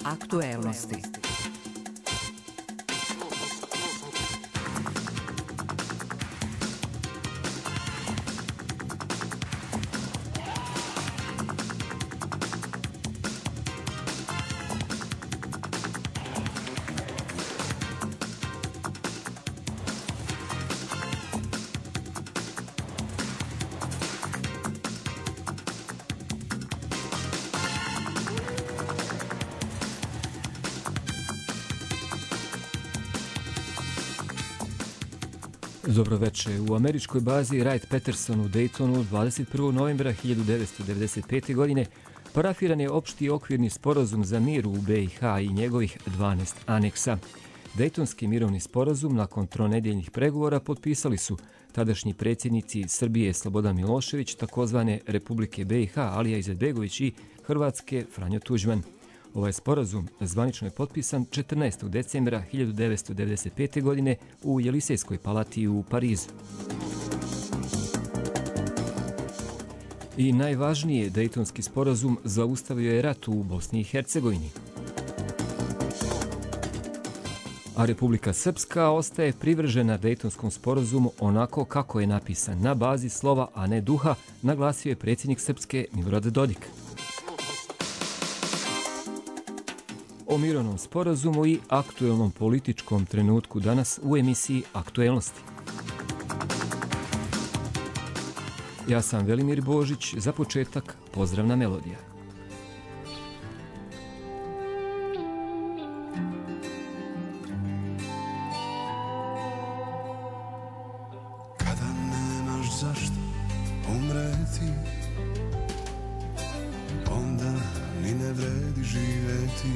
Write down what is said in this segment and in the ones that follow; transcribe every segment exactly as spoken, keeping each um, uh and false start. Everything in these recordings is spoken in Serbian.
Aktuelnosti. Dobroveče. U američkoj bazi Wright-Patterson u Daytonu dvadeset prvog novembra hiljadu devetsto devedeset pete. godine parafiran je opšti okvirni sporazum za mir u B i H i njegovih dvanaest aneksa. Dejtonski mirovni sporazum nakon tronedjeljnih pregovora potpisali su tadašnji predsjednici Srbije Slobodan Milošević, takozvane Republike B i H Alija Izetbegović i Hrvatske Franjo Tuđman. Ovaj sporazum zvanično je potpisan četrnaestog decembra hiljadu devetsto devedeset pete. godine u Jelisejskoj palati u Parizu. I najvažnije, Dejtonski sporazum zaustavio je rat u Bosni i Hercegovini. A Republika Srpska ostaje privržena Dejtonskom sporazumu onako kako je napisan, na bazi slova, a ne duha, naglasio je predsjednik Srpske Milorad Dodik. O mirovnom sporazumu i aktuelnom političkom trenutku danas u emisiji Aktuelnosti. Ja sam Velimir Božić, za početak pozdravna melodija. Kada nemaš zašto umreti, onda ni ne vredi živeti.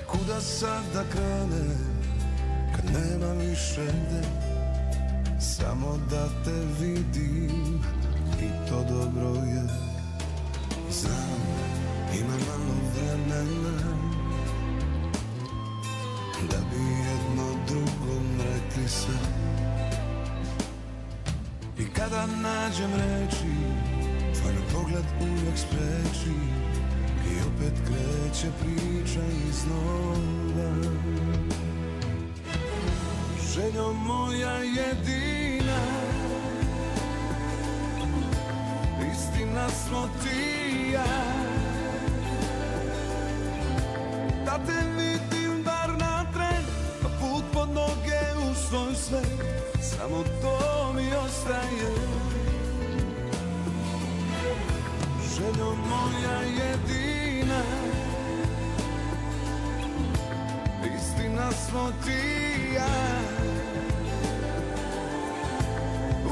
Kuda sad da krene, kad nema više gde, samo da te vidim i to dobro je. Znam, ima malo vremena, da bi jedno drugom rekli sve. I kada nađem reči, tvoj me pogled uvijek spreči, i opet kreće priča iznova. Željo moja jedina, istina smo ti i ja. Da te vidim bar na tren, pa put pod noge u svoj svet, samo to mi ostaje. Željo moja jedina, istina smo ti i ja.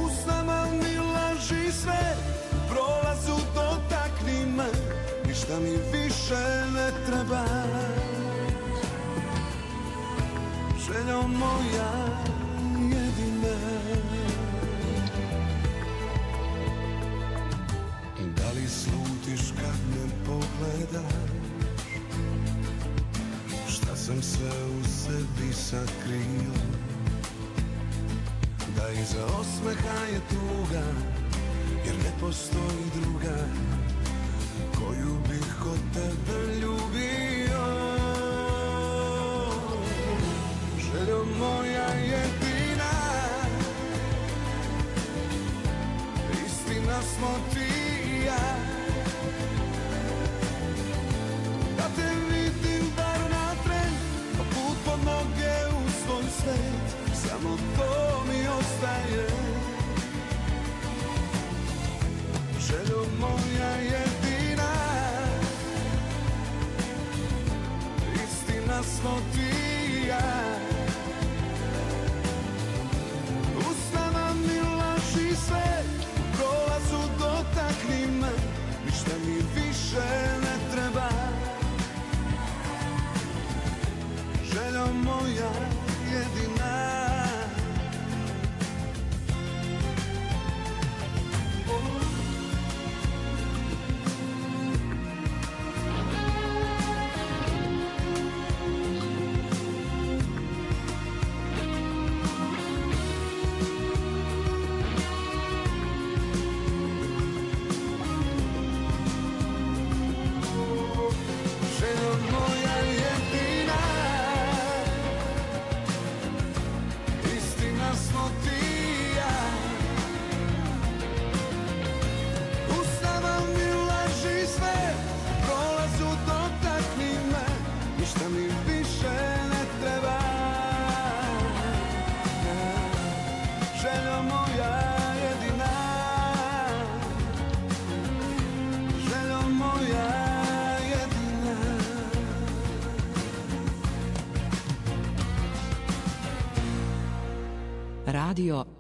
Usnama mi laži sve, prolazu dotakni me, ništa mi više ne treba. Željo moja jedina. Da li slutiš kad me pogledaš, šta sam sve u sebi sakrio, da iza osmeha je tuga, jer ne postoji druga koju bih od tebe ljubio. Željo moja jedina, istina smo ti i ja. Da te vidim bar na tren, pa put pod noge u svoj svet, samo to mi ostaje. Željo moja jedina, istina smo ti i ja. Ustana mi laži sve, prolazu dotakni me, ništa mi više ne treba. Željo moja jedina.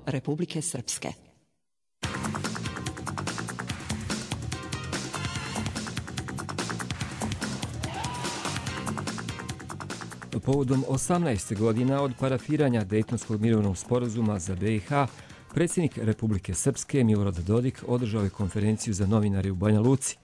Republike Srpske. Povodom osamnaeste godina od parafiranja Dejtonskog mirovnog sporazuma za B i H, predsjednik Republike Srpske Milorad Dodik održao je konferenciju za novinare u Banja Luci.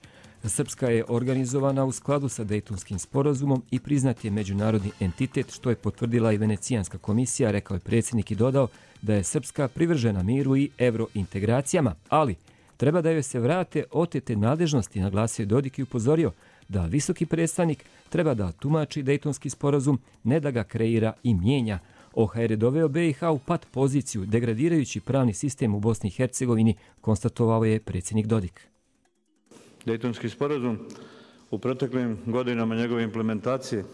Srpska je organizovana u skladu sa Dejtonskim sporazumom i priznat je međunarodni entitet, što je potvrdila i Venecijanska komisija, rekao je predsjednik i dodao da je Srpska privržena miru i evrointegracijama, ali treba da joj se vrate otete nadležnosti, naglasio je Dodik i upozorio da visoki predstavnik treba da tumači Dejtonski sporazum, ne da ga kreira i mijenja. O H R je doveo B i H u pat poziciju, degradirajući pravni sistem u Bosni i Hercegovini, konstatovao je predsjednik Dodik. Dejtonski sporazum u proteklim godinama njegove implementacije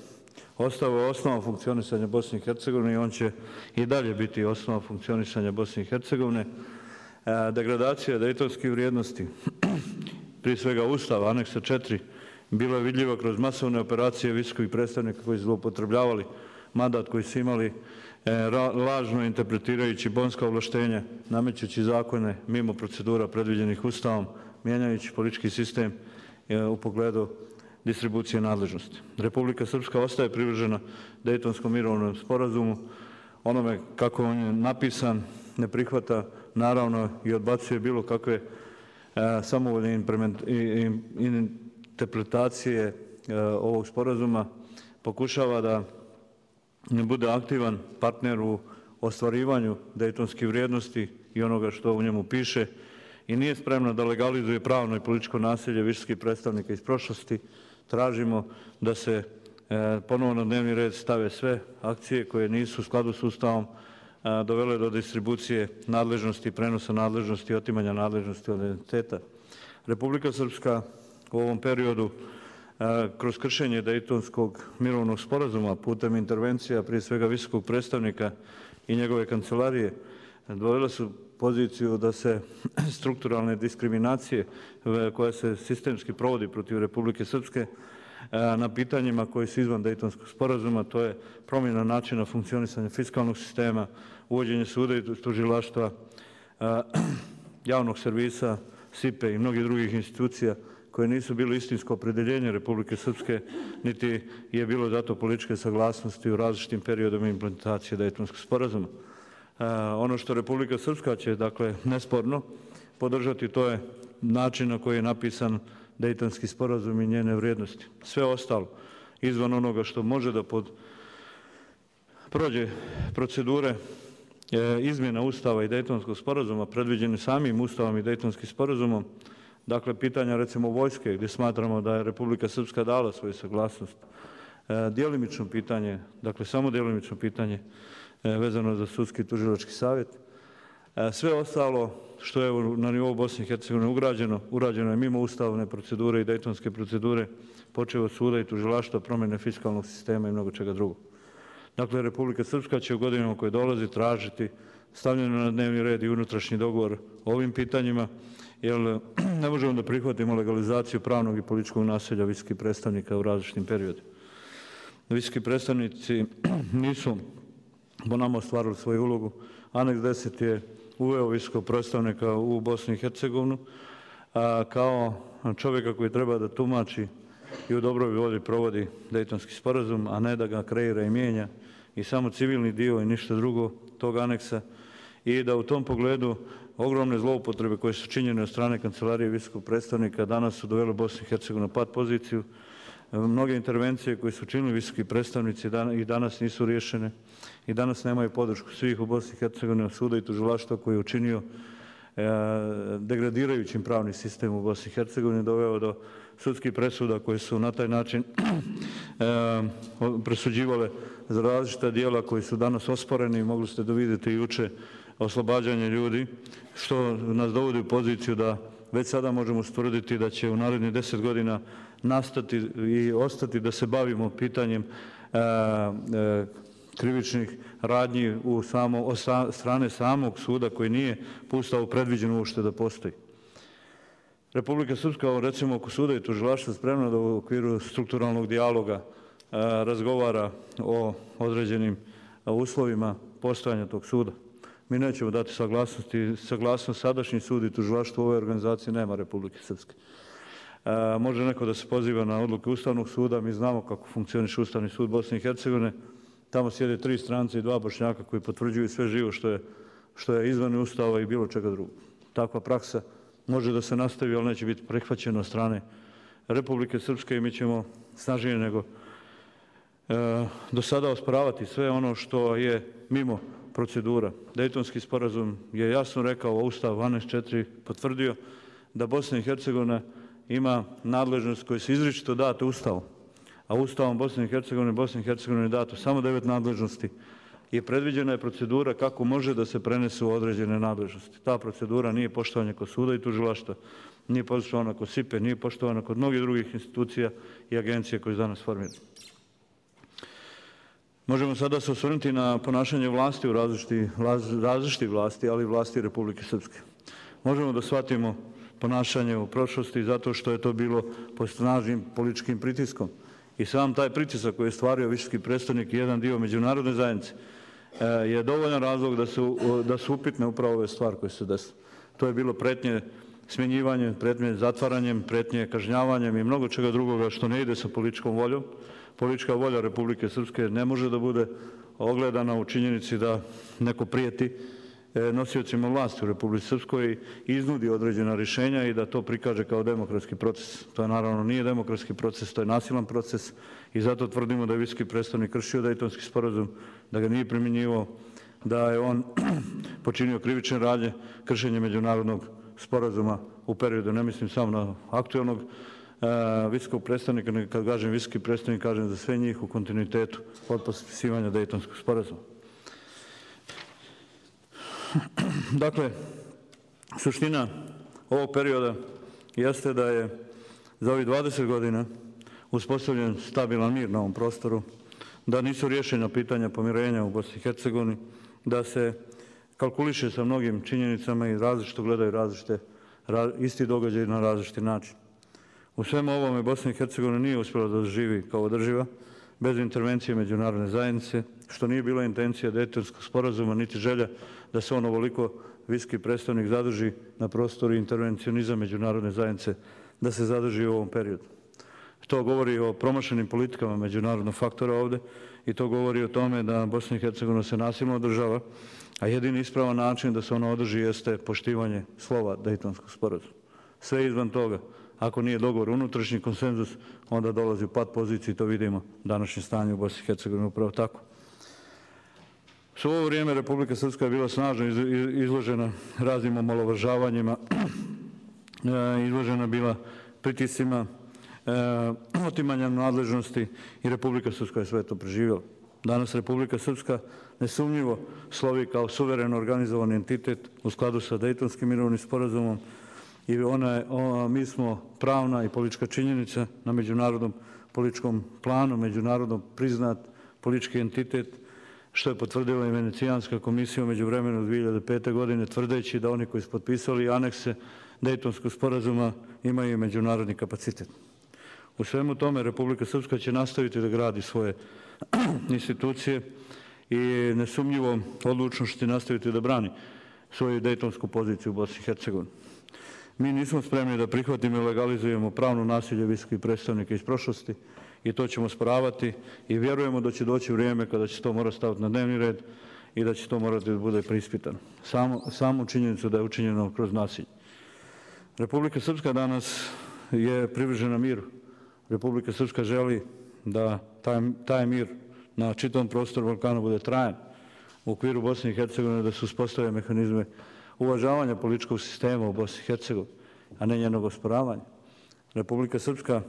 ostao je osnova funkcionisanja Bosne i Hercegovine i on će i dalje biti osnova funkcionisanja Bosne i Hercegovine. Degradacija dejtonskih vrijednosti, prije svega Ustava, aneksa četiri, bilo je vidljivo kroz masovne operacije visokih predstavnika koji su zloupotrebljavali mandat koji su imali, lažno interpretirajući bonska ovlaštenja, namećući zakone mimo procedura predviđenih Ustavom, mijenjajući politički sistem u pogledu distribucije nadležnosti. Republika Srpska ostaje privržena Dejtonskom mirovnom sporazumu, onome kako on je napisan, ne prihvata naravno i odbacuje bilo kakve samovoljne interpretacije ovog sporazuma, pokušava da bude aktivan partner u ostvarivanju dejtonskih vrijednosti i onoga što u njemu piše i nije spremna da legalizuje pravno i političko nasilje visokih predstavnika iz prošlosti. Tražimo da se ponovo na dnevni red stave sve akcije koje nisu u skladu s Ustavom dovele do distribucije nadležnosti, prenosa nadležnosti i otimanja nadležnosti od entiteta. Republika Srpska u ovom periodu kroz kršenje Dejtonskog mirovnog sporazuma putem intervencija prije svega visokog predstavnika i njegove kancelarije dovela su poziciju da se strukturalne diskriminacije koja se sistemski provodi protiv Republike Srpske na pitanjima koji su izvan Dejtonskog sporazuma, to je promjena načina funkcionisanja fiskalnog sistema, uvođenje suda i tužilaštva, javnog servisa, S I P E i mnogih drugih institucija koje nisu bile istinsko opredjeljenje Republike Srpske, niti je bilo zato političke saglasnosti u različitim periodima implementacije Dejtonskog sporazuma. Ono što Republika Srpska će, dakle, nesporno podržati, to je način na koji je napisan Dejtonski sporazum i njene vrijednosti. Sve ostalo, izvan onoga što može da pod prođe procedure izmjena Ustava i Dejtonskog sporazuma, predviđene samim Ustavom i Dejtonskim sporazumom, dakle, pitanja recimo vojske, gdje smatramo da je Republika Srpska dala svoju saglasnost, djelimično pitanje, dakle, samo djelimično pitanje vezano za sudski i tužilački savjet. Sve ostalo što je na nivou Bosne i Hercegovine ugrađeno, urađeno je mimo ustavne procedure i dejtonske procedure, počeo od suda i tužilaštva, promjene fiskalnog sistema i mnogo čega drugog. Dakle, Republika Srpska će u godinama koje dolazi tražiti stavljeno na dnevni red i unutrašnji dogovor o ovim pitanjima, jer ne možemo da prihvatimo legalizaciju pravnog i političkog nasilja visokih predstavnika u različitim periodima. Visoki predstavnici nisu po nama ostvarili svoju ulogu. Aneks deset je uveo visokog predstavnika u Bosni i Hercegovinu kao čovjeka koji treba da tumači i u dobroj volji provodi Dejtonski sporazum, a ne da ga kreira i mijenja i samo civilni dio i ništa drugo tog aneksa, i da u tom pogledu ogromne zloupotrebe koje su činjene od strane kancelarije visokog predstavnika danas su dovele Bosnu i Hercegovinu na pad poziciju. Mnoge intervencije koje su činili visoki predstavnici i danas nisu riješene i danas nemaju podršku svih u Bosni i Hercegovini, od suda i tužilaštva koji je učinio degradirajućim pravni sistem u Bosni i Hercegovini, doveo do sudskih presuda koje su na taj način presuđivale za različita dijela koji su danas osporeni. Mogli ste da vidite i juče oslobađanje ljudi, što nas dovodi u poziciju da već sada možemo stvrditi da će u narednih deset godina nastati i ostati da se bavimo pitanjem krivičnih radnji u samo, od strane samog suda koji nije pustao predviđeno uopšte da postoji. Republika Srpska, recimo oko suda i tužilaštva, spremna da u okviru strukturalnog dijaloga razgovara o određenim uslovima postojanja tog suda. Mi nećemo dati saglasnosti, saglasnost sadašnji sud i tužilaštvo u ovoj organizaciji nema Republike Srpske. E, može neko da se poziva na odluke Ustavnog suda, mi znamo kako funkcioniše Ustavni sud Bosne i Hercegovine. Tamo sjede tri strance i dva Bošnjaka koji potvrđuju sve živo što je, što je izvan Ustava i bilo čega drugog. Takva praksa može da se nastavi, ali neće biti prihvaćena od strane Republike Srpske i mi ćemo snažnije nego e, do sada osporavati sve ono što je mimo procedura. Dejtonski sporazum je jasno rekao, Ustav dvanaest četiri potvrdio da Bosna i Hercegovina ima nadležnost koja se izričito date Ustavom, a Ustavom Bosne i Hercegovine Bosne i Hercegovine je dato samo devet nadležnosti i predviđena je procedura kako može da se prenesu određene nadležnosti. Ta procedura nije poštovana kod suda i tužilaštva, nije poštovana kod S I P E, nije poštovana kod mnogih drugih institucija i agencija koje su danas formirane. Možemo sada se osvrnuti na ponašanje vlasti u različitih različiti vlasti, ali i vlasti Republike Srpske. Možemo da shvatimo ponašanje u prošlosti zato što je to bilo pod snažnim političkim pritiskom. I sam taj pritisak koji je stvario visoki predstavnik i jedan dio međunarodne zajednice je dovoljan razlog da su, da su upitne upravo ove stvari koje se desile. To je bilo pretnje smjenjivanjem, pretnje zatvaranjem, pretnje kažnjavanjem i mnogo čega drugoga što ne ide sa političkom voljom. Politička volja Republike Srpske ne može da bude ogledana u činjenici da neko prijeti nosiocima vlasti u Republici Srpskoj i iznudi određena rješenja i da to prikaže kao demokratski proces. To je naravno nije demokratski proces, to je nasilan proces i zato tvrdimo da je visoki predstavnik kršio Dejtonski sporazum, da ga nije primjenjivao, da je on počinio krivične radnje, kršenje međunarodnog sporazuma u periodu, ne mislim samo na aktualnog visokog predstavnika, nego kad kažem visoki predstavnik, kažem za sve njih u kontinuitetu od potpisivanja Dejtonskog sporazuma. Dakle, suština ovog perioda jeste da je za ovih dvadeset godina uspostavljen stabilan mir na ovom prostoru, da nisu rješena pitanja pomirenja u Bosni i Hercegovini, da se kalkuliše sa mnogim činjenicama i različito gledaju različite, isti događaj na različiti način. U svemu ovome Bosna i Hercegovina nije uspjela da živi kao održiva, bez intervencije međunarodne zajednice, što nije bila intencija Dejtonskog sporazuma, niti želja da se on ovoliko visoki predstavnik zadrži na prostoru intervencionizma međunarodne zajednice, da se zadrži u ovom periodu. To govori o promašenim politikama međunarodnog faktora ovde i to govori o tome da Bosna i Hercegovina se nasilno održava, a jedini ispravan način da se ona održi jeste poštivanje slova Dejtonskog sporazuma. Sve izvan toga, ako nije dogovor unutrašnji konsenzus, onda dolazi u pad poziciji, to vidimo današnje stanje u Bosni i Hercegovini upravo tako. Svo ovo vrijeme Republika Srpska je bila snažno izložena raznim omalovažavanjima, izložena bila pritiscima, otimanjem nadležnosti i Republika Srpska je sve to preživjela. Danas Republika Srpska nesumnjivo slovi kao suvereno organizovan entitet u skladu sa Dejtonskim mirovnim sporazumom i ona je, ona, mi smo pravna i politička činjenica na međunarodnom političkom planu, međunarodno priznat politički entitet, što je potvrdila i Venecijanska komisija u međuvremenu dvije hiljade pete. godine, tvrdeći da oni koji su potpisali anekse Dejtonskog sporazuma imaju međunarodni kapacitet. U svemu tome Republika Srpska će nastaviti da gradi svoje institucije i nesumnjivo odlučno će nastaviti da brani svoju dejtonsku poziciju u Bosni i Hercegovini. Mi nismo spremni da prihvatimo i legalizujemo pravno nasilje visokih predstavnika iz prošlosti i to ćemo spravati i vjerujemo da će doći vrijeme kada će to morati staviti na dnevni red i da će to morati da bude preispitano. Samo, samu činjenicu da je učinjeno kroz nasilje. Republika Srpska danas je privržena miru. Republika Srpska želi da taj, taj mir na čitavom prostoru Balkana bude trajan. U okviru Bosne i Hercegovine da se uspostave mehanizme uvažavanja političkog sistema u Bosni i Hercegovini, a ne njenog osporavanja. Republika Srpska,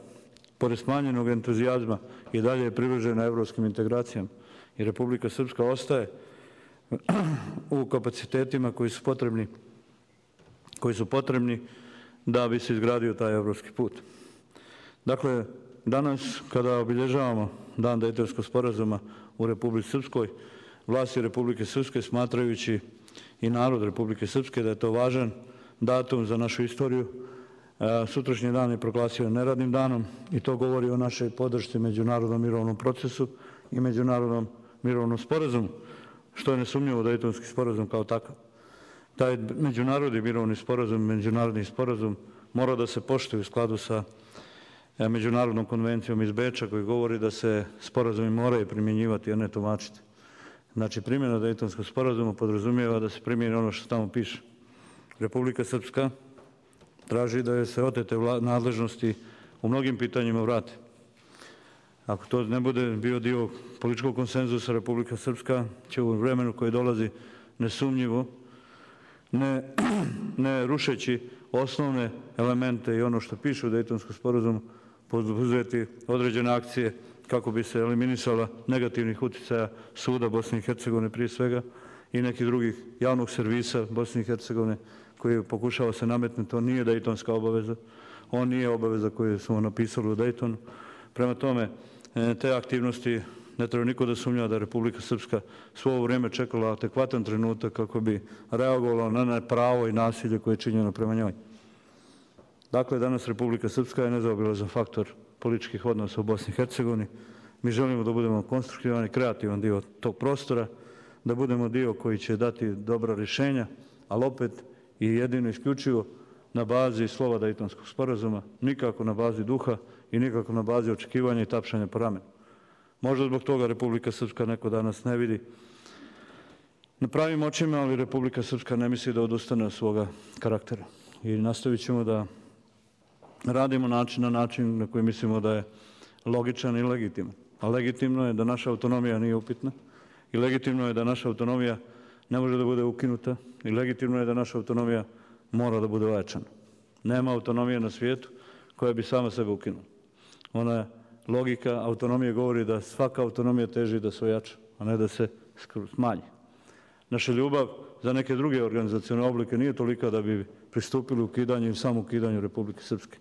pored smanjenog entuzijazma, i dalje je privržena evropskim integracijama i Republika Srpska ostaje u kapacitetima koji su potrebni, koji su potrebni da bi se izgradio taj evropski put. Dakle, danas kada obilježavamo Dan Dejtonskog sporazuma u Republici Srpskoj, vlasti Republike Srpske smatrajući i narod Republike Srpske da je to važan datum za našu istoriju, sutrašnji dan je proglasio neradnim danom i to govori o našoj podršci međunarodnom mirovnom procesu i međunarodnom mirovnom sporazumu, što je nesumnjivo Dejtonski sporazum kao takav. Taj međunarodni mirovni sporazum, međunarodni sporazum mora da se poštuje u skladu sa međunarodnom konvencijom iz Beča koji govori da se sporazumi moraju primjenjivati, a ne tumačiti. Znači, primjena Dejtonskog sporazuma podrazumijeva da se primjeni ono što tamo piše. Republika Srpska traži da je se otete nadležnosti u mnogim pitanjima vrate. Ako to ne bude bio dio političkog konsenzusa, Republika Srpska će u vremenu koje dolazi nesumnjivo, ne, ne rušeći osnovne elemente i ono što piše u Dejtonskom sporazumu, poduzeti određene akcije kako bi se eliminisala negativnih uticaja suda Bosne i Hercegovine prije svega i nekih drugih javnog servisa Bosne i Hercegovine koji pokušava se nametnuti. To nije Dejtonska obaveza, on nije obaveza koju smo napisali u Dejtonu. Prema tome, te aktivnosti ne treba niko da sumnja da Republika Srpska svo ovo vrijeme čekala adekvatan trenutak kako bi reagovala na nepravo i nasilje koje je činjeno prema njoj. Dakle, danas Republika Srpska je nezaobilazan faktor političkih odnosa u Bosni i Hercegovini. Mi želimo da budemo konstruktivan i kreativan dio tog prostora, da budemo dio koji će dati dobra rješenja, ali opet i jedino isključivo na bazi slova Dejtonskog sporazuma, nikako na bazi duha i nikako na bazi očekivanja i tapšanja po ramenu. Možda zbog toga Republika Srpska neko danas ne vidi na pravim očima, ali Republika Srpska ne misli da odustane od svoga karaktera. I nastavit ćemo da radimo način na način na koji mislimo da je logičan i legitiman. A legitimno je da naša autonomija nije upitna i legitimno je da naša autonomija ne može da bude ukinuta i legitimno je da naša autonomija mora da bude ojačana. Nema autonomije na svijetu koja bi sama sebe ukinula. Ona je logika autonomije govori da svaka autonomija teži da se ojača, a ne da se smanji. Naša ljubav za neke druge organizacione oblike nije tolika da bi pristupili ukidanju i samo ukidanju Republike Srpske.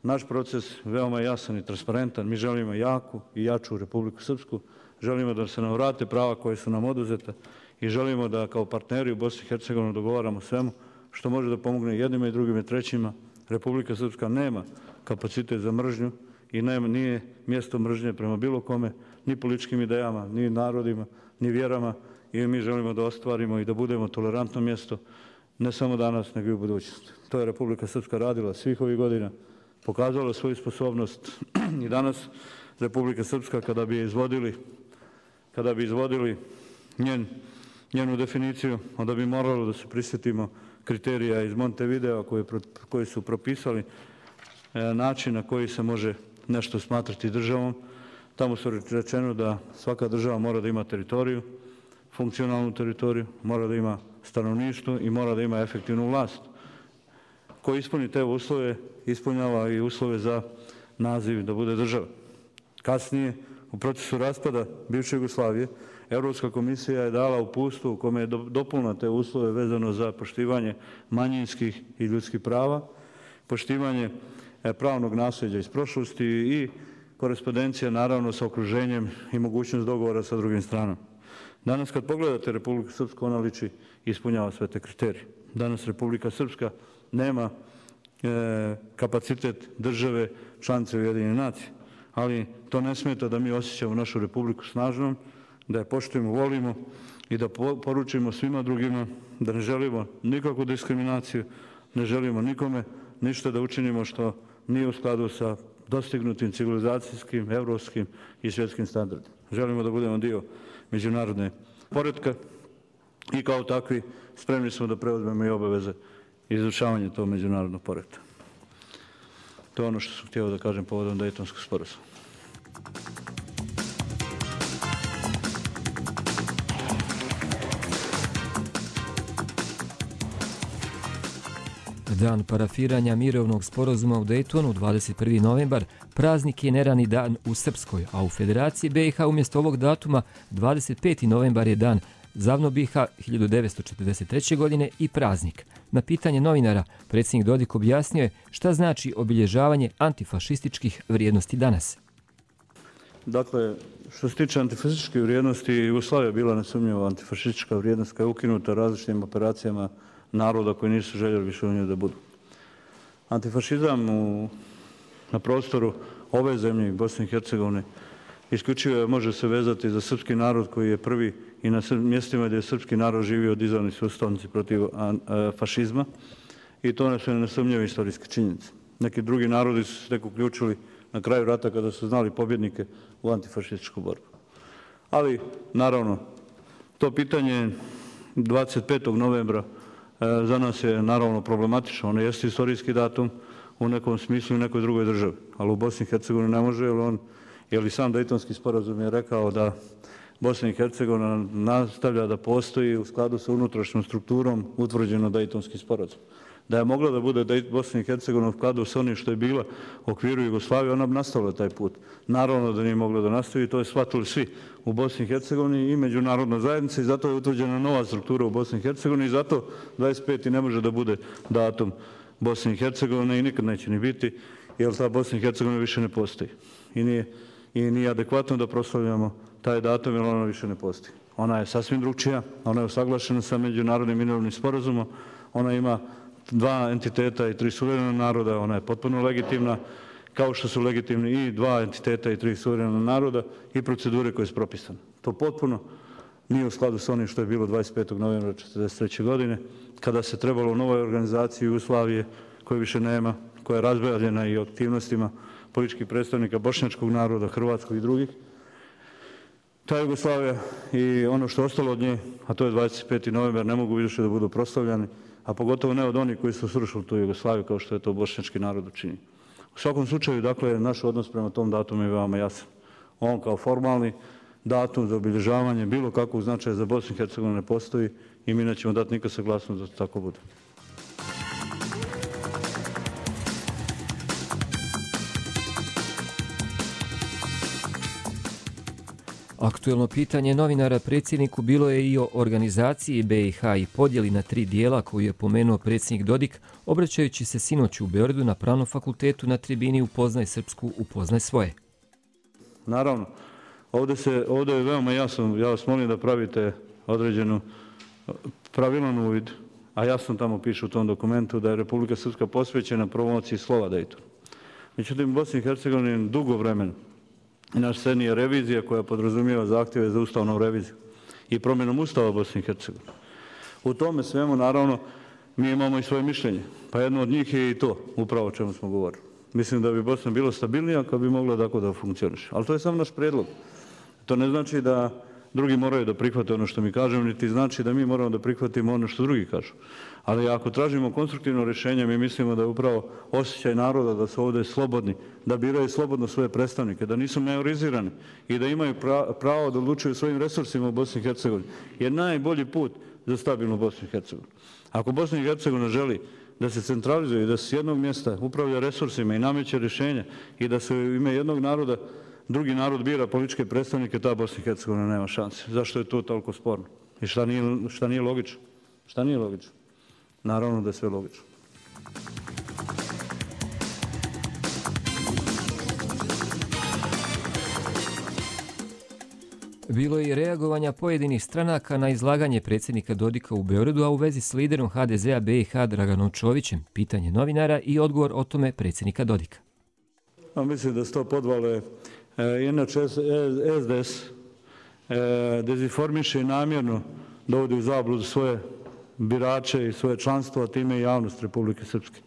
Naš proces veoma jasan i transparentan. Mi želimo jaku i jaču Republiku Srpsku, želimo da se nam vrate prava koje su nam oduzeta i želimo da kao partneri u Bosni i Hercegovini dogovaramo svemu što može da pomogne jednima i drugim i trećima. Republika Srpska nema kapacitet za mržnju i nema, nije mjesto mržnje prema bilo kome, ni političkim idejama, ni narodima, ni vjerama i mi želimo da ostvarimo i da budemo tolerantno mjesto ne samo danas, nego i u budućnosti. To je Republika Srpska radila svih ovih godina, pokazala svoju sposobnost i danas Republika Srpska kada bi izvodili, kada bi izvodili njen, njenu definiciju, onda bi moralo da se prisjetimo kriterija iz Montevidea koji, koji su propisali e, način na koji se može nešto smatrati državom. Tamo su rečeno da svaka država mora da ima teritoriju, funkcionalnu teritoriju, mora da ima stanovništvo i mora da ima efektivnu vlast. Ko ispuni te uslove, ispunjava i uslove za naziv da bude država. Kasnije, u procesu raspada bivše Jugoslavije, Europska komisija je dala uputstvo u kome je dopunila te uslove vezano za poštivanje manjinskih i ljudskih prava, poštivanje pravnog nasljeđa iz prošlosti i korespondencija naravno sa okruženjem i mogućnost dogovora sa drugim stranom. Danas kad pogledate Republiku Srpsku, ona liči i ispunjava sve te kriterije. Danas Republika Srpska nema e, kapacitet države članice Ujedinjenih nacija, ali to ne smeta da mi osjećamo našu Republiku snažnom, da je poštujemo, volimo i da poručimo svima drugima da ne želimo nikakvu diskriminaciju, ne želimo nikome ništa da učinimo što nije u skladu sa dostignutim civilizacijskim, evropskim i svjetskim standardima. Želimo da budemo dio međunarodne poretka i kao takvi spremni smo da preuzmemo i obaveze izvršavanja tog međunarodnog poretka. To je ono što sam htio da kažem povodom Dejtonskog sporazuma. Dan parafiranja mirovnog sporazuma u Dejtonu, dvadeset prvi novembar, praznik je nerani dan u Srpskoj, a u Federaciji B i H umjesto ovog datuma dvadeset peti novembar je dan Zavno B i H hiljadu devetsto četrdeset treće. godine i praznik. Na pitanje novinara predsjednik Dodik objasnio je šta znači obilježavanje antifašističkih vrijednosti danas. Dakle, što se tiče antifašističkih vrijednosti, Jugoslavija je bila nesumnjivo antifašistička vrijednost koja je ukinuta različitim operacijama naroda koji nisu željeli više u njoj da budu. Antifašizam u, na prostoru ove zemlje i Bosne i Hercegovine isključivo može se vezati za srpski narod koji je prvi i na mjestima gdje je srpski narod živio dizani su ustanici protiv fašizma i to su nesumnjive istorijske činjenice. Neki drugi narodi su se tek uključili na kraju rata kada su znali pobjednike u antifašističku borbu. Ali, naravno, to pitanje dvadeset petog novembra za nas je naravno problematično. Ono jeste istorijski datum u nekom smislu i nekoj drugoj državi, ali u Bosni i Hercegovini ne može, jer on, jer i sam Dejtonski sporazum je rekao da Bosna i Hercegovina nastavlja da postoji u skladu sa unutrašnjom strukturom utvrđeno Dejtonski sporazum. Da je mogla da bude Bosna i Hercegovina u skladu sa onim što je bila u okviru Jugoslavije, ona bi nastavila taj put. Naravno da nije mogla da nastavi, to je shvatili svi u Bosni i Hercegovini i međunarodna zajednica i zato je utvrđena nova struktura u Bosni i Hercegovini i zato dvadeset peti ne može da bude datum Bosne i Hercegovine i nikad neće ni biti, jer ta Bosna i Hercegovina više ne postoji. I nije, i nije adekvatno da proslavljamo taj datum, jer ona više ne postoji. Ona je sasvim drugčija, ona je usaglašena sa međunarodnim mirovnim sporazumom, ona ima dva entiteta i tri suverena naroda, ona je potpuno legitimna, kao što su legitimni i dva entiteta i tri suverena naroda i procedure koje su propisane. To potpuno nije u skladu sa onim što je bilo dvadeset petog novembra četrdeset treće godine, kada se trebalo u novoj organizaciji Jugoslavije, koje više nema, koja je razbavljena i aktivnostima političkih predstavnika bošnjačkog naroda, hrvatskog i drugih. Ta Jugoslavija i ono što je ostalo od nje, a to je dvadeset peti novembar, ne mogu više da budu proslavljani, a pogotovo ne od onih koji su srušili tu Jugoslaviju, kao što je to bošnjački narod učinio. U svakom slučaju, dakle, naš odnos prema tom datumu je veoma jasan. On kao formalni datum za obilježavanje bilo kakvog značaja za Bosnu i Hercegovinu ne postoji i mi nećemo dati nikad saglasnost da to tako bude. Aktuelno pitanje novinara predsjedniku bilo je i o organizaciji B i H i podjeli na tri dijela koju je pomenuo predsjednik Dodik, obraćajući se sinoć u Beogradu na Pravnom fakultetu na tribini Upoznaj Srpsku, upoznaj svoje. Naravno, ovdje, se, ovdje je veoma jasno, ja vas molim da pravite određenu pravilan uvid, a jasno tamo piše u tom dokumentu da je Republika Srpska posvećena promociji slova Dejtona. Međutim, u Bosni i Hercegovini dugo vremena i naš sceni je revizija koja podrazumijeva zahtjeve za ustavnom reviziju i promjenom ustava Bosne i Hercegovine. U tome svemu, naravno, mi imamo i svoje mišljenje. Pa jedno od njih je i to, upravo o čemu smo govorili. Mislim da bi Bosna bila stabilnija kad bi mogla tako da funkcioniše. Ali to je samo naš prijedlog. To ne znači da drugi moraju da prihvate ono što mi kažemo, niti znači da mi moramo da prihvatimo ono što drugi kažu. Ali ako tražimo konstruktivno rješenje, mi mislimo da je upravo osjećaj naroda da su ovdje slobodni, da biraju slobodno svoje predstavnike, da nisu majorizirani i da imaju pravo da odlučuju svojim resursima u Bosni i Hercegovini, je najbolji put za stabilnu Bosnu i Hercegovinu. Ako Bosna i Hercegovina želi da se centralizuje i da se s jednog mjesta upravlja resursima i nameće rješenja i da se u ime jednog naroda drugi narod bira političke predstavnike, ta Bosna i Hercegovina nema šanse. Zašto je to toliko sporno? I šta nije, šta nije logično? Šta nije logično? Naravno da je sve logično. Bilo je i reagovanja pojedinih stranaka na izlaganje predsjednika Dodika u Beogradu, a u vezi s liderom H D Z-a B i H Draganom Čovićem, pitanje novinara i odgovor o tome predsjednika Dodika. A mislim da su to podvale. E, inače, S D S e, dezinformiše i namjerno dovodi u zabludu svoje birače i svoje članstvo, a time i javnost Republike Srpske.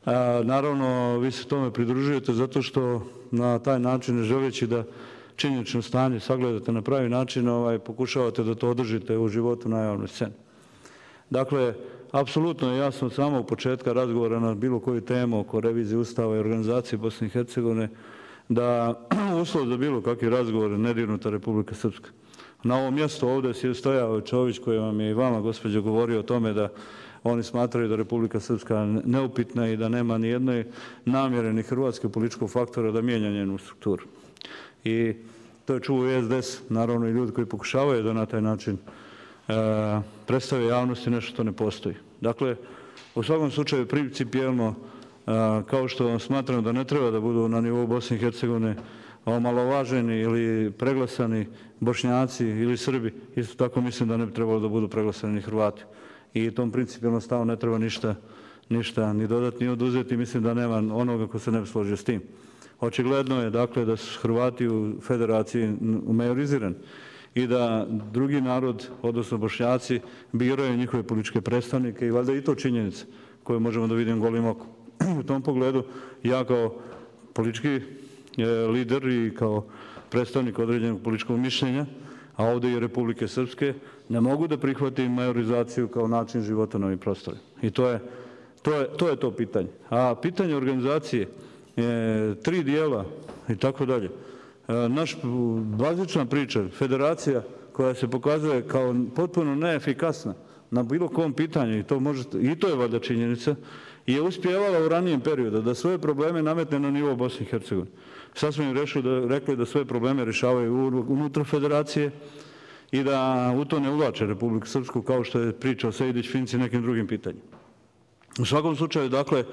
E, naravno, vi se tome pridružujete zato što na taj način, ne želeći da činjenično stanje sagledate na pravi način, ovaj, pokušavate da to održite u životu na javnoj sceni. Dakle, apsolutno je jasno od samog početka razgovora na bilo koju temu oko revizije Ustava i organizacije Bosne i Hercegovine da uslov za bilo kakvi razgovor ne dirnuta Republika Srpska. Na ovom mjestu ovdje je stojao Čović koji vam je i vama, gospođo, govorio o tome da oni smatraju da Republika Srpska neupitna i da nema ni jedne namjere ni hrvatskog političkog faktora da mijenja njenu strukturu. I to je čuo i S D S, naravno i ljudi koji pokušavaju da na taj način e, predstave javnosti nešto što ne postoji. Dakle, u svakom slučaju principijelno, e, kao što smatram da ne treba da budu na nivou Bosne i Hercegovine omalovaženi ili preglasani Bošnjaci ili Srbi, isto tako mislim da ne bi trebalo da budu preglasani ni Hrvati. I tom principijelno stavu ne treba ništa, ništa ni dodati ni oduzeti, mislim da nema onoga ko se ne bi složio s tim. Očigledno je dakle da su Hrvati u federaciji majorizirani i da drugi narod, odnosno Bošnjaci, biraju njihove političke predstavnike i valjda i to činjenica koju možemo da vidimo golim okom. U tom pogledu ja kao politički lider i kao predstavnik određenog političkog mišljenja, a ovdje i Republike Srpske, ne mogu da prihvatim majorizaciju kao način života na ovim prostorima. I to je to, je, to, je to pitanje. A pitanje organizacije, je, tri dijela i tako dalje. Naš bazična priča, federacija koja se pokazuje kao potpuno neefikasna na bilo kom pitanju, i to, možete, i to je valjda činjenica, je uspjevala u ranijem periodu da svoje probleme nametne na nivo Bosne i Hercegovine. Sad smo im rešili da, rekli da svoje probleme rješavaju unutar federacije i da u to ne uvlače Republiku Srpsku kao što je pričao Sejdić, Finci i nekim drugim pitanjima. U svakom slučaju, dakle,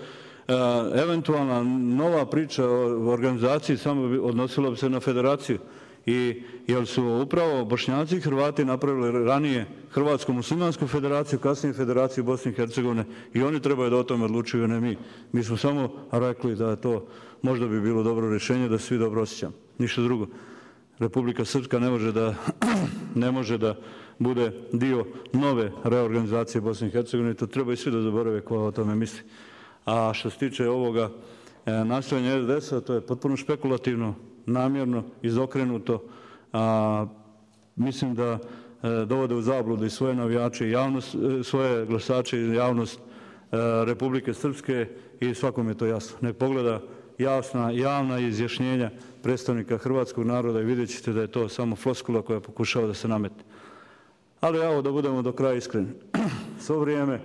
eventualna nova priča o organizaciji samo bi odnosila bi se na federaciju. I jer su upravo Bošnjaci i Hrvati napravili ranije Hrvatsko-muslimansku federaciju, kasnije Federaciju Bosne i Hercegovine i oni trebaju da o tome odlučuju, ne mi. Mi smo samo rekli da to možda bi bilo dobro rješenje, da svi dobro osjećamo. Ništa drugo. Republika Srpska ne može da, ne može da bude dio nove reorganizacije Bosne i Hercegovine. To treba i svi da zaborave ko o tome misli. A što se tiče ovoga e, nastojanja S D S-a, to je potpuno špekulativno, namjerno, izokrenuto. A, mislim da e, dovode u zabludu i svoje navijače, javnost, e, svoje glasače i javnost e, Republike Srpske i svakom je to jasno. Nek pogleda jasna, javna izjašnjenja predstavnika hrvatskog naroda i vidjet ćete da je to samo floskula koja pokušava da se nametne. Ali evo da budemo do kraja iskreni. Svo vrijeme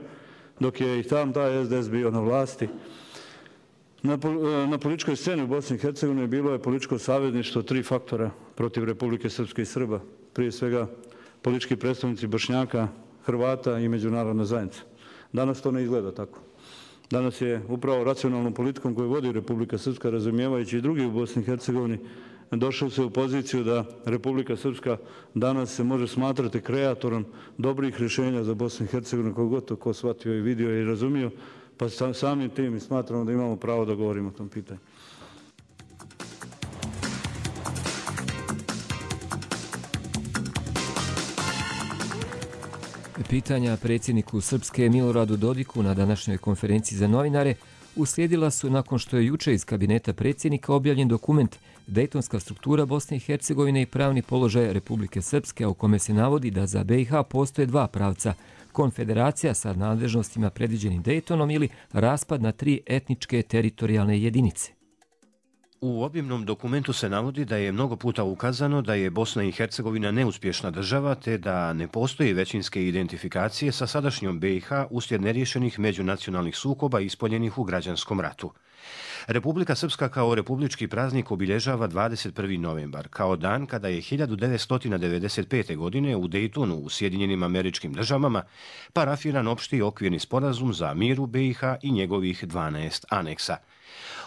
dok je i tam taj S D S bio na vlasti, na, na političkoj sceni u Bosni i Hercegovini bilo je političko savezništvo tri faktora protiv Republike Srpske i Srba. Prije svega politički predstavnici Bošnjaka, Hrvata i međunarodna zajednica. Danas to ne izgleda tako. Danas je upravo racionalnom politikom koju vodi Republika Srpska, razumijevajući i drugi u Bosni i Hercegovini, došao se u poziciju da Republika Srpska danas se može smatrati kreatorom dobrih rješenja za Bosnu i Hercegovinu, kogo to ko shvatio i vidio i razumio, pa samim tim i smatramo da imamo pravo da govorimo o tom pitanju. Pitanja predsjedniku Srpske Miloradu Dodiku na današnjoj konferenciji za novinare uslijedila su nakon što je juče iz kabineta predsjednika objavljen dokument Dejtonska struktura Bosne i Hercegovine i pravni položaj Republike Srpske, u kome se navodi da za B i H postoje dva pravca: konfederacija sa nadležnostima predviđenim Dejtonom ili raspad na tri etničke teritorijalne jedinice. U obimnom dokumentu se navodi da je mnogo puta ukazano da je Bosna i Hercegovina neuspješna država te da ne postoji većinske identifikacije sa sadašnjom B i H uslijed neriješenih međunacionalnih sukoba ispoljenih u građanskom ratu. Republika Srpska kao republički praznik obilježava dvadeset prvi novembar, kao dan kada je hiljadu devetsto devedeset pete. godine u Dejtonu u Sjedinjenim Američkim Državama parafiran opšti okvirni sporazum za mir u B i H i njegovih dvanaest aneksa.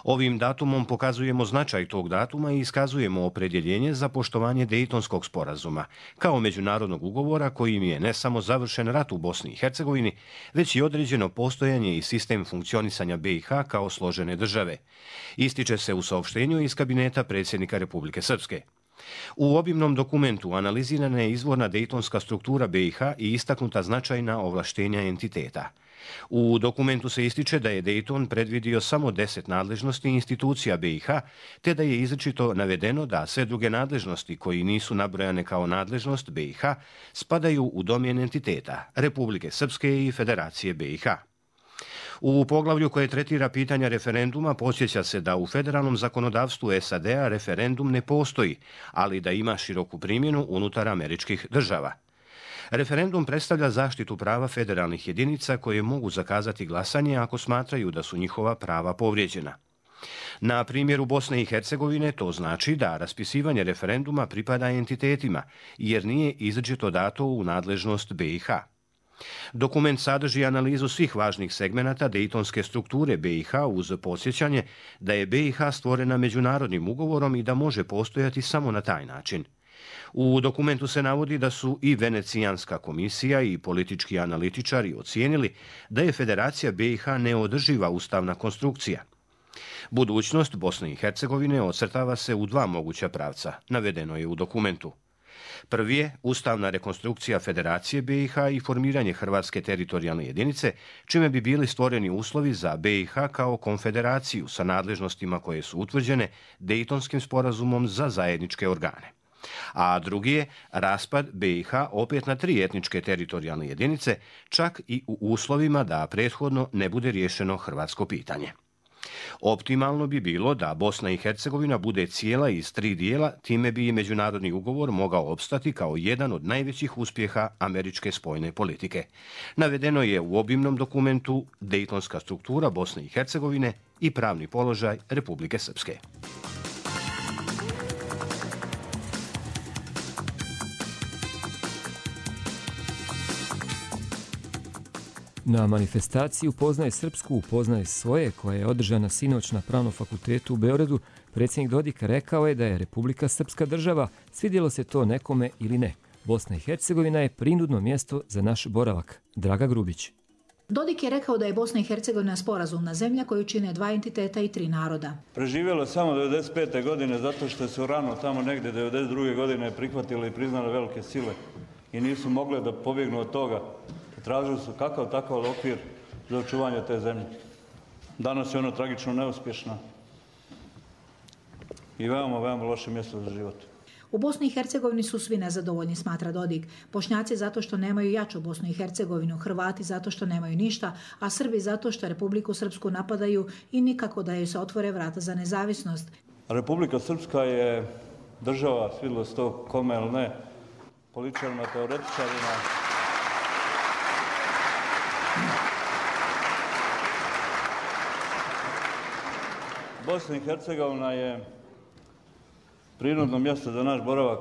Ovim datumom pokazujemo značaj tog datuma i iskazujemo opredjeljenje za poštovanje Dejtonskog sporazuma, kao međunarodnog ugovora kojim je ne samo završen rat u Bosni i Hercegovini, već i određeno postojanje i sistem funkcionisanja B i H kao složene države. Ističe se u saopštenju iz kabineta predsjednika Republike Srpske. U obimnom dokumentu analizirana je izvorna dejtonska struktura B i H i istaknuta značajna ovlaštenja entiteta. U dokumentu se ističe da je Dejton predvidio samo deset nadležnosti institucija B i H, te da je izričito navedeno da sve druge nadležnosti koji nisu nabrojane kao nadležnost B i H spadaju u domen entiteta Republike Srpske i Federacije B i H. U poglavlju koje tretira pitanja referenduma podsjeća se da u federalnom zakonodavstvu S A D-a referendum ne postoji, ali da ima široku primjenu unutar američkih država. Referendum predstavlja zaštitu prava federalnih jedinica koje mogu zakazati glasanje ako smatraju da su njihova prava povrijeđena. Na primjeru Bosne i Hercegovine to znači da raspisivanje referenduma pripada entitetima, jer nije izričito dato u nadležnost B i H. Dokument sadrži analizu svih važnih segmenata dejtonske strukture B i H uz podsjećanje da je B i H stvorena međunarodnim ugovorom i da može postojati samo na taj način. U dokumentu se navodi da su i Venecijanska komisija i politički analitičari ocijenili da je Federacija B i H neodrživa ustavna konstrukcija. Budućnost Bosne i Hercegovine ocrtava se u dva moguća pravca, navedeno je u dokumentu. Prvi je ustavna rekonstrukcija Federacije B i H i formiranje Hrvatske teritorijalne jedinice, čime bi bili stvoreni uslovi za B i H kao konfederaciju sa nadležnostima koje su utvrđene Dejtonskim sporazumom za zajedničke organe. A drugi je raspad B i H opet na tri etničke teritorijalne jedinice, čak i u uslovima da prethodno ne bude riješeno hrvatsko pitanje. Optimalno bi bilo da Bosna i Hercegovina bude cijela iz tri dijela, time bi i međunarodni ugovor mogao opstati kao jedan od najvećih uspjeha američke spoljne politike. Navedeno je u obimnom dokumentu Dejtonska struktura Bosne i Hercegovine i pravni položaj Republike Srpske. Na manifestaciji Upoznaj Srpsku, upoznaj svoje, koja je održana sinoć na Pravnom fakultetu u Beogradu, predsjednik Dodik rekao je da je Republika Srpska država, svidjelo se to nekome ili ne. Bosna i Hercegovina je prinudno mjesto za naš boravak. Draga Grubić. Dodik je rekao da je Bosna i Hercegovina sporazumna zemlja koju čine dva entiteta i tri naroda. Preživjelo samo devedeset pete godine zato što su rano tamo negdje devedeset druge godine prihvatile i priznale velike sile i nisu mogle da pobjegnu od toga. Tražili su kakav takav okvir za očuvanje te zemlje. Danas je ono tragično neuspješna i veoma, veoma loše mjesto za život. U Bosni i Hercegovini su svi nezadovoljni, smatra Dodik. Bošnjaci zato što nemaju jaču Bosnu i Hercegovinu, Hrvati zato što nemaju ništa, a Srbi zato što Republiku Srpsku napadaju i nikako da joj se otvore vrata za nezavisnost. Republika Srpska je država, svidjelo se to kome ili ne, političarima, teoretičarima. Bosna i Hercegovina je prirodno mjesto za naš boravak,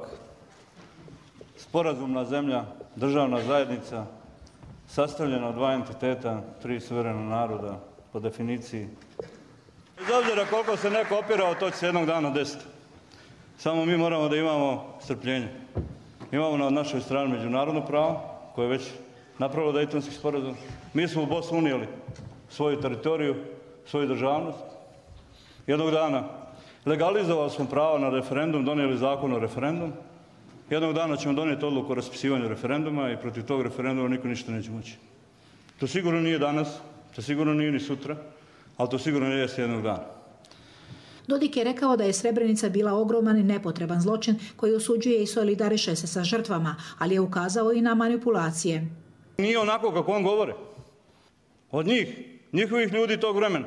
sporazumna zemlja, državna zajednica, sastavljena od dva entiteta, tri suverena naroda, po definiciji. Bez obzira koliko se neko opirao, to će se jednog dana desiti. Samo mi moramo da imamo strpljenje. Imamo na našoj strani međunarodno pravo, koje je već napravilo Dejtonski sporazum. Mi smo u Bosnu unijeli svoju teritoriju, svoju državnost. Jednog dana legalizovali smo pravo na referendum, donijeli zakon o referendumu. Jednog dana ćemo donijeti odluku o raspisivanju referenduma i protiv tog referenduma niko ništa neće moći. To sigurno nije danas, to sigurno nije ni sutra, ali to sigurno nije jednog dana. Dodik je rekao da je Srebrenica bila ogroman i nepotreban zločin koji osuđuje i solidariše se sa žrtvama, ali je ukazao i na manipulacije. Nije onako kako on govore. Od njih, njihovih ljudi tog vremena.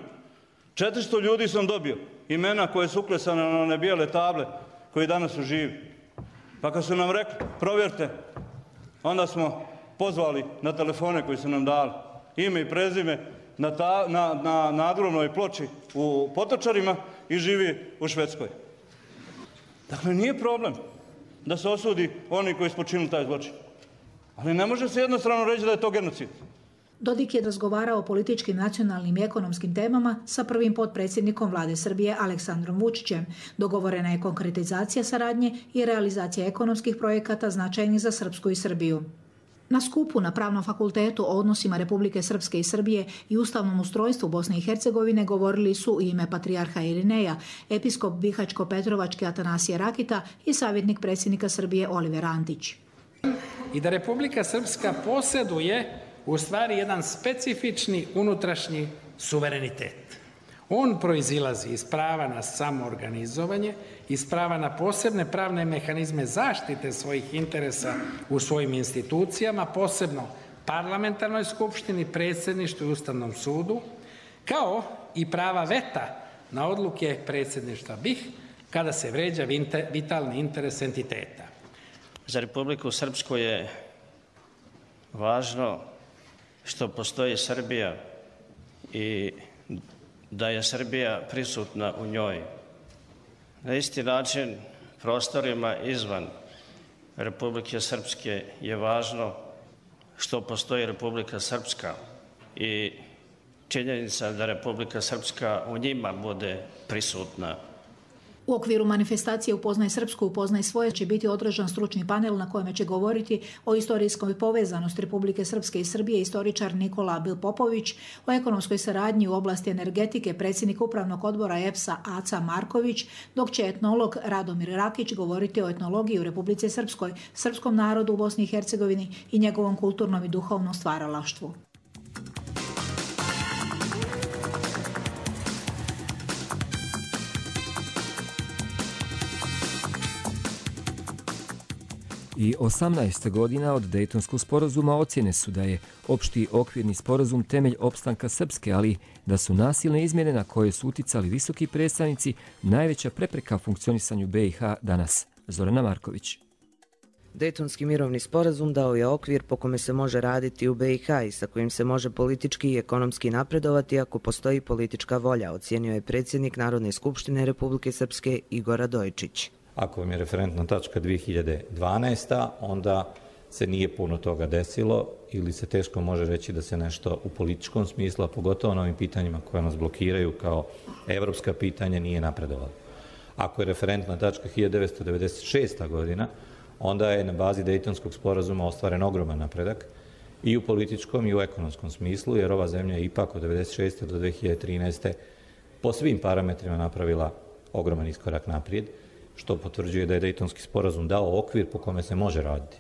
četiristo ljudi sam dobio, imena koje su uklesane na one bijele table koji danas su živi. Pa kad su nam rekli, provjerite, onda smo pozvali na telefone koji su nam dali ime i prezime na, ta, na, na nadgrobnoj ploči u Potočarima i živi u Švedskoj. Dakle, nije problem da se osudi oni koji su počinili taj zločin. Ali ne može se jednostavno reći da je to genocid. Dodik je razgovarao o političkim, nacionalnim i ekonomskim temama sa prvim potpredsjednikom vlade Srbije Aleksandrom Vučićem. Dogovorena je konkretizacija saradnje i realizacija ekonomskih projekata značajnih za Srpsku i Srbiju. Na skupu na Pravnom fakultetu o odnosima Republike Srpske i Srbije i ustavnom ustrojstvu Bosne i Hercegovine govorili su u ime patrijarha Irineja, episkop Bihaćko-Petrovački Atanasije Rakita i savjetnik predsjednika Srbije Oliver Antić. I da Republika Srpska posjeduje u stvari jedan specifični unutrašnji suverenitet. On proizilazi iz prava na samoorganizovanje, iz prava na posebne pravne mehanizme zaštite svojih interesa u svojim institucijama, posebno parlamentarnoj skupštini, predsjedništvu i Ustavnom sudu, kao i prava veta na odluke predsjedništva B i H kada se vređa vitalni interes entiteta. Za Republiku Srpsku je važno što postoji Srbija i da je Srbija prisutna u njoj. Na isti način prostorima izvan Republike Srpske je važno što postoji Republika Srpska i činjenica da Republika Srpska u njima bude prisutna. U okviru manifestacije Upoznaj Srpsku, upoznaj svoje će biti održan stručni panel na kojem će govoriti o istorijskoj povezanosti Republike Srpske i Srbije istoričar Nikola Bil-Popović, o ekonomskoj saradnji u oblasti energetike predsjednik upravnog odbora E P S-a Aca Marković, dok će etnolog Radomir Rakić govoriti o etnologiji u Republici Srpskoj, srpskom narodu u Bosni i Hercegovini i njegovom kulturnom i duhovnom stvaralaštvu. I osamnaest godina od Dejtonskog sporazuma ocjene su da je opšti okvirni sporazum temelj opstanka Srpske, ali da su nasilne izmjene na koje su uticali visoki predstavnici najveća prepreka funkcionisanju B i H danas. Zorana Marković. Dejtonski mirovni sporazum dao je okvir po kome se može raditi u B i H i sa kojim se može politički i ekonomski napredovati ako postoji politička volja, ocijenio je predsjednik Narodne skupštine Republike Srpske Igor Radojičić. Ako vam je referentna tačka dvije hiljade dvanaesta. onda se nije puno toga desilo ili se teško može reći da se nešto u političkom smislu, a pogotovo na ovim pitanjima koje nas blokiraju kao evropska pitanja, nije napredovalo. Ako je referentna tačka hiljadu devetsto devedeset šesta. godina, onda je na bazi Dejtonskog sporazuma ostvaren ogroman napredak i u političkom i u ekonomskom smislu, jer ova zemlja je ipak od devedeset šeste. do dve hiljade trinaeste. po svim parametrima napravila ogroman iskorak naprijed, što potvrđuje da je Dejtonski sporazum dao okvir po kome se može raditi.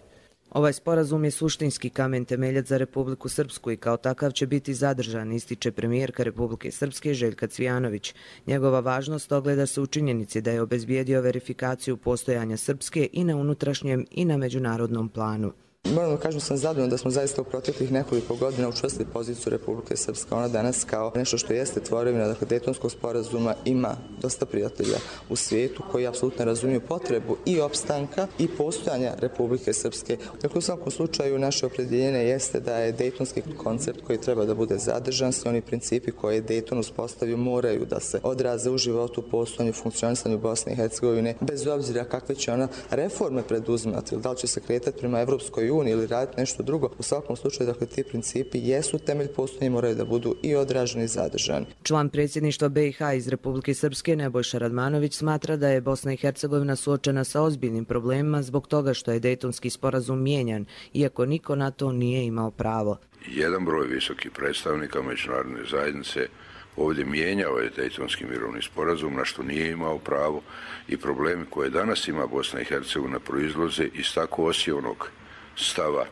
Ovaj sporazum je suštinski kamen temeljac za Republiku Srpsku i kao takav će biti zadržan, ističe premijerka Republike Srpske Željka Cvijanović. Njegova važnost ogleda se u činjenici da je obezbijedio verifikaciju postojanja Srpske i na unutrašnjem i na međunarodnom planu. Moram da kažem, sam zadovoljna da smo zaista u proteklih nekoliko godina učvrstili poziciju Republike Srpske. Ona danas kao nešto što jeste tvorevina, dakle, Dejtonskog sporazuma, ima dosta prijatelja u svijetu koji apsolutno razumiju potrebu i opstanka i postojanja Republike Srpske. Dakle, u svakom slučaju naše opredjeljenje jeste da je Dejtonski koncept koji treba da bude zadržan, svi oni principi koje je Dejton uspostavio moraju da se odraze u životu, postojanju, funkcionisanju Bosne i Hercegovine, bez obzira kakve će ona reforme preduzimati, da li će se kretati prema Evropskoj uniji ili raditi nešto drugo. U svakom slučaju, dakle, ti principi jesu temelj postojanja i moraju da budu i odraženi i zadržani. Član predsjedništva B i H iz Republike Srpske Nebojša Radmanović smatra da je Bosna i Hercegovina suočena sa ozbiljnim problemima zbog toga što je Dejtonski sporazum mijenjan, iako niko na to nije imao pravo. Jedan broj visokih predstavnika međunarodne zajednice ovdje mijenjao je Dejtonski mirovni sporazum, na što nije imao pravo, i problemi koje danas ima Bosna i Hercegovina proizlaze iz tako osjeonog stava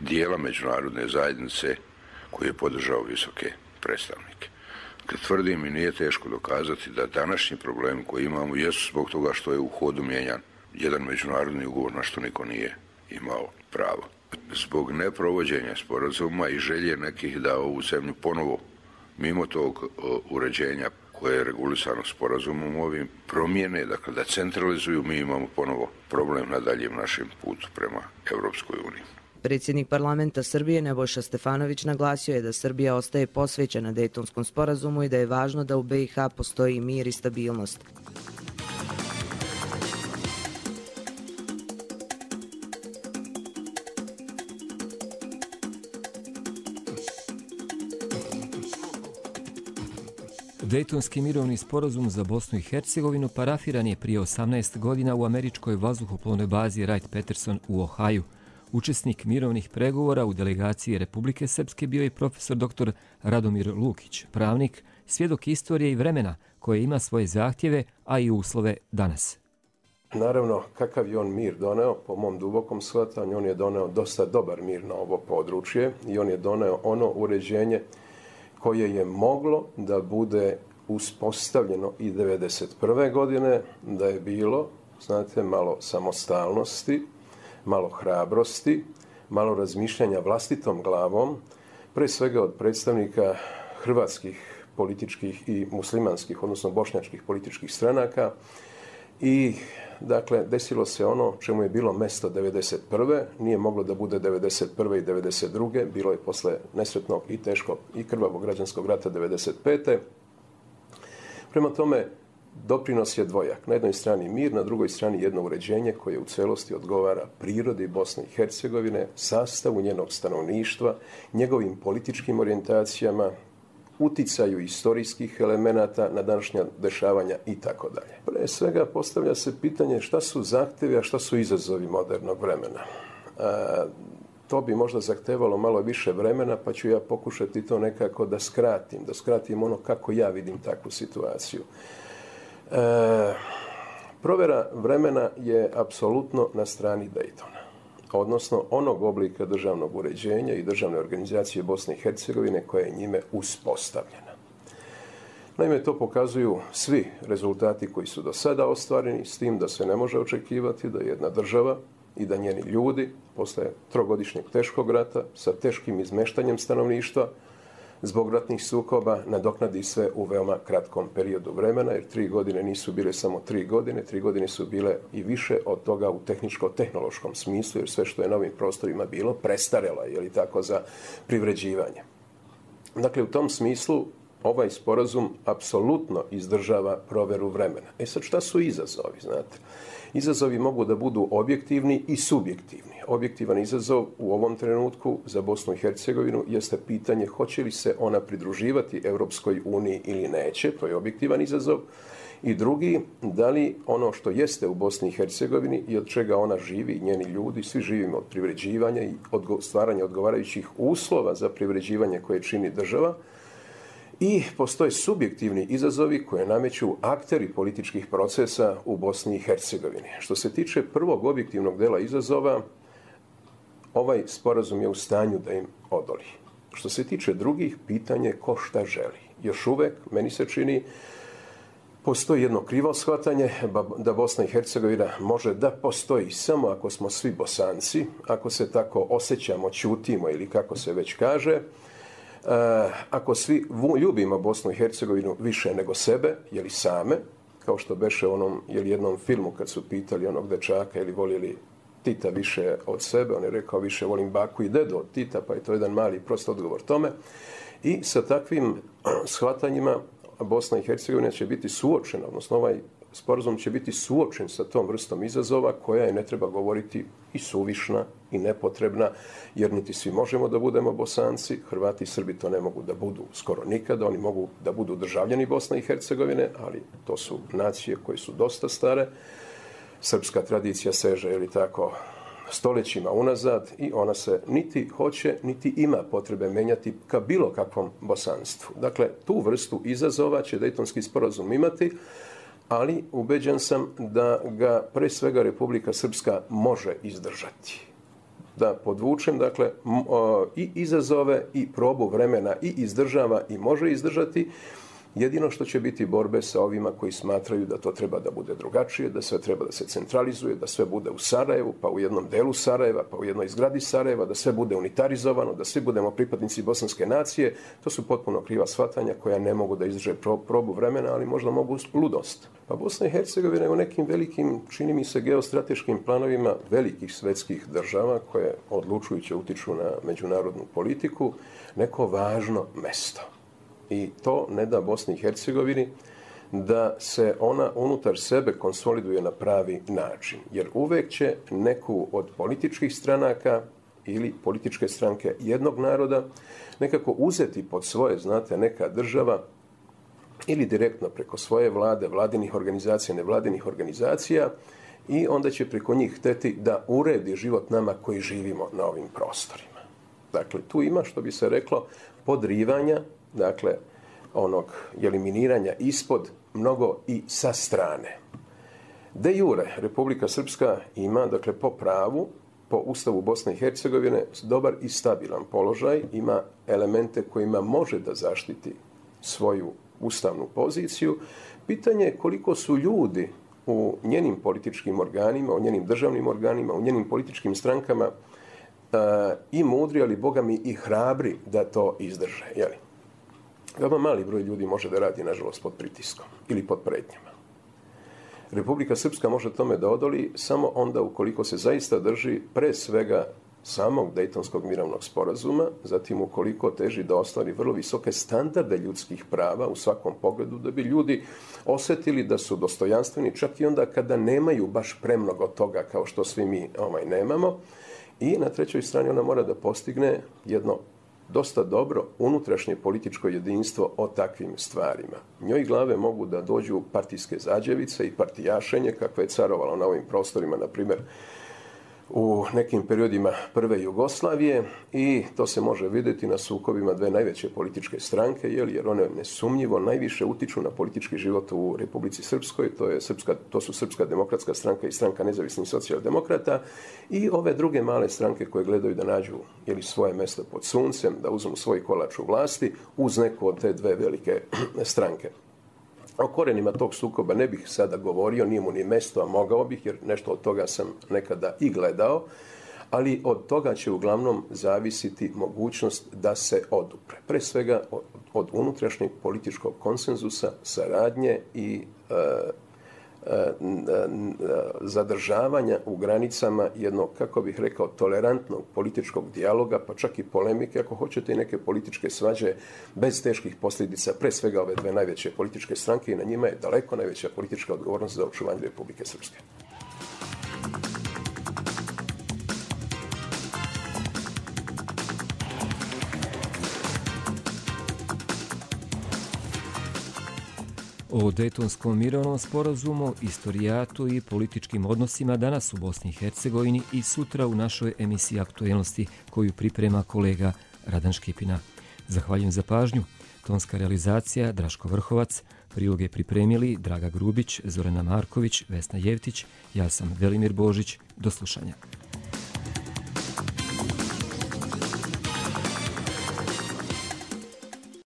dijela međunarodne zajednice koji je podržao visoke predstavnike. Kad tvrdim, i nije teško dokazati da današnji problemi koji imamo jesu zbog toga što je u hodu mijenjan jedan međunarodni ugovor na što niko nije imao pravo. Zbog neprovođenja sporazuma i želje nekih da ovu zemlju ponovo, mimo tog uređenja koje je regulisano sporazumom, ovim promijene, dakle da centralizuju, mi imamo ponovo problem na daljem našem putu prema Evropskoj uniji. Predsjednik parlamenta Srbije Nebojša Stefanović naglasio je da Srbija ostaje posvećena Dejtonskom sporazumu i da je važno da u B i H postoji mir i stabilnost. Dejtonski mirovni sporazum za Bosnu i Hercegovinu parafiran je prije osamnaest godina u američkoj vazduhoplovnoj bazi Wright-Patterson u Ohaju. Učesnik mirovnih pregovora u delegaciji Republike Srpske bio je profesor doktor Radomir Lukić, pravnik, svjedok istorije i vremena koje ima svoje zahtjeve, a i uslove danas. Naravno, kakav je on mir doneo, po mom dubokom shvatanju, on je doneo dosta dobar mir na ovo područje i on je doneo ono uređenje koje je moglo da bude uspostavljeno i devedeset prve. godine, da je bilo, znate, malo samostalnosti, malo hrabrosti, malo razmišljanja vlastitom glavom, pre svega od predstavnika hrvatskih političkih i muslimanskih, odnosno bošnjačkih političkih stranaka. I, dakle, desilo se ono čemu je bilo mesto devedeset prve. Nije moglo da bude devedeset prve i devedeset druge. Bilo je posle nesretnog i teškog i krvavog građanskog rata devedeset pete. Prema tome, doprinos je dvojak. Na jednoj strani mir, na drugoj strani jedno uređenje koje u celosti odgovara prirodi Bosne i Hercegovine, sastavu njenog stanovništva, njegovim političkim orijentacijama, uticaju istorijskih elemenata na današnja dešavanja i tako dalje. Pre svega postavlja se pitanje šta su zahtevi, a šta su izazovi modernog vremena. A, to bi možda zahtevalo malo više vremena, pa ću ja pokušati to nekako da skratim, da skratim ono kako ja vidim takvu situaciju. E, provera vremena je apsolutno na strani Daytona, odnosno onog oblika državnog uređenja i državne organizacije Bosne i Hercegovine koja je njime uspostavljena. Naime, to pokazuju svi rezultati koji su do sada ostvareni, s tim da se ne može očekivati da jedna država i da njeni ljudi, posle trogodišnjeg teškog rata, sa teškim izmeštanjem stanovništva, zbog ratnih sukoba, nadoknadi sve u veoma kratkom periodu vremena, jer tri godine nisu bile samo tri godine, tri godine su bile i više od toga u tehničko-tehnološkom smislu, jer sve što je na ovim prostorima bilo, prestarelo je, ili tako, za privređivanje. Dakle, u tom smislu, ovaj sporazum apsolutno izdržava proveru vremena. E sad, šta su izazovi, znate? Izazovi mogu da budu objektivni i subjektivni. Objektivan izazov u ovom trenutku za Bosnu i Hercegovinu jeste pitanje hoće li se ona pridruživati Europskoj uniji ili neće, to je objektivan izazov. I drugi, da li ono što jeste u Bosni i Hercegovini i od čega ona živi, njeni ljudi, svi živimo od privređivanja i od stvaranja odgovarajućih uslova za privređivanje koje čini država, i postoje subjektivni izazovi koje nameću akteri političkih procesa u Bosni i Hercegovini. Što se tiče prvog objektivnog dela izazova, ovaj sporazum je u stanju da im odoli. Što se tiče drugih, pitanje ko šta želi. Još uvek, meni se čini, postoji jedno krivo shvatanje da Bosna i Hercegovina može da postoji samo ako smo svi Bosanci, ako se tako osjećamo, ćutimo ili kako se već kaže, Uh, ako svi ljubimo Bosnu i Hercegovinu više nego sebe, jeli same, kao što beše u onom jeli jednom filmu kad su pitali onog dečaka ili voljeli Tita više od sebe, on je rekao više volim baku i dedu od Tita, pa je to jedan mali prost odgovor tome. I sa takvim shvatanjima Bosna i Hercegovina će biti suočena, odnosno ovaj sporazum će biti suočen sa tom vrstom izazova koja je, ne treba govoriti, i suvišna i nepotrebna, jer niti svi možemo da budemo Bosanci, Hrvati i Srbi to ne mogu da budu skoro nikada, oni mogu da budu državljani Bosne i Hercegovine, ali to su nacije koje su dosta stare, srpska tradicija seže, ili tako, stoljećima unazad i ona se niti hoće, niti ima potrebe menjati ka bilo kakvom bosanstvu. Dakle, tu vrstu izazova će Dejtonski sporazum imati, ali ubeđen sam da ga pre svega Republika Srpska može izdržati. Da podvučem, dakle, i izazove i probu vremena i izdržava i može izdržati. Jedino što će biti borbe sa ovima koji smatraju da to treba da bude drugačije, da sve treba da se centralizuje, da sve bude u Sarajevu, pa u jednom delu Sarajeva, pa u jednoj zgradi Sarajeva, da sve bude unitarizovano, da svi budemo pripadnici bosanske nacije. To su potpuno kriva shvatanja koja ne mogu da izdrže probu vremena, ali možda mogu ludost. Pa Bosna i Hercegovina je u nekim velikim, čini mi se, geostrateškim planovima velikih svetskih država koje odlučujuće utiču na međunarodnu politiku, neko važno mesto. I to ne da Bosni i Hercegovini da se ona unutar sebe konsoliduje na pravi način. Jer uvek će neku od političkih stranaka ili političke stranke jednog naroda nekako uzeti pod svoje, znate, neka država ili direktno preko svoje vlade, vladinih organizacija, nevladinih organizacija, i onda će preko njih hteti da uredi život nama koji živimo na ovim prostorima. Dakle, tu ima, što bi se reklo, podrivanja, dakle, onog eliminiranja ispod, mnogo i sa strane. De jure, Republika Srpska ima, dakle, po pravu, po Ustavu Bosne i Hercegovine, dobar i stabilan položaj, ima elemente kojima može da zaštiti svoju ustavnu poziciju. Pitanje je koliko su ljudi u njenim političkim organima, u njenim državnim organima, u njenim političkim strankama i mudri, ali Boga mi i hrabri da to izdrže, jeli? Veoma mali broj ljudi može da radi, nažalost, pod pritiskom ili pod pretnjama. Republika Srpska može tome da odoli samo onda ukoliko se zaista drži pre svega samog Dejtonskog mirovnog sporazuma, zatim ukoliko teži da ostvari vrlo visoke standarde ljudskih prava u svakom pogledu, da bi ljudi osetili da su dostojanstveni čak i onda kada nemaju baš premnogo toga kao što svi mi ovaj, nemamo. I na trećoj strani ona mora da postigne jedno dosta dobro unutrašnje političko jedinstvo o takvim stvarima. Njoj glave mogu da dođu partijske zađevice i partijašenje kakve je carovalo na ovim prostorima, na primjer u nekim periodima prve Jugoslavije, i to se može vidjeti na sukobima dve najveće političke stranke, jer one nesumnjivo najviše utiču na politički život u Republici Srpskoj, to, je Srpska, to su Srpska demokratska stranka i Stranka nezavisnih socijaldemokrata, i ove druge male stranke koje gledaju da nađu ili svoje mesto pod suncem, da uzmu svoj kolač u vlasti uz neku od te dve velike stranke. O korenima tog sukoba ne bih sada govorio, nije mu ni mesto, a mogao bih, jer nešto od toga sam nekada i gledao, ali od toga će uglavnom zavisiti mogućnost da se odupre. Pre svega od, od unutrašnjeg političkog konsenzusa, saradnje i e, e, zadržavanja u granicama jednog, kako bih rekao, tolerantnog političkog dijaloga, pa čak i polemike, ako hoćete, i neke političke svađe bez teških posljedica, pre svega ove dve najveće političke stranke, i na njima je daleko najveća politička odgovornost za očuvanje Republike Srpske. O Dejtonskom mirovnom sporazumu, istorijatu i političkim odnosima danas u Bosni i Hercegovini i sutra u našoj emisiji Aktuelnosti koju priprema kolega Radan Škipina. Zahvaljujem za pažnju. Tonska realizacija Draško Vrhovac, priloge pripremili Draga Grubić, Zorana Marković, Vesna Jevtić, ja sam Velimir Božić. Do slušanja.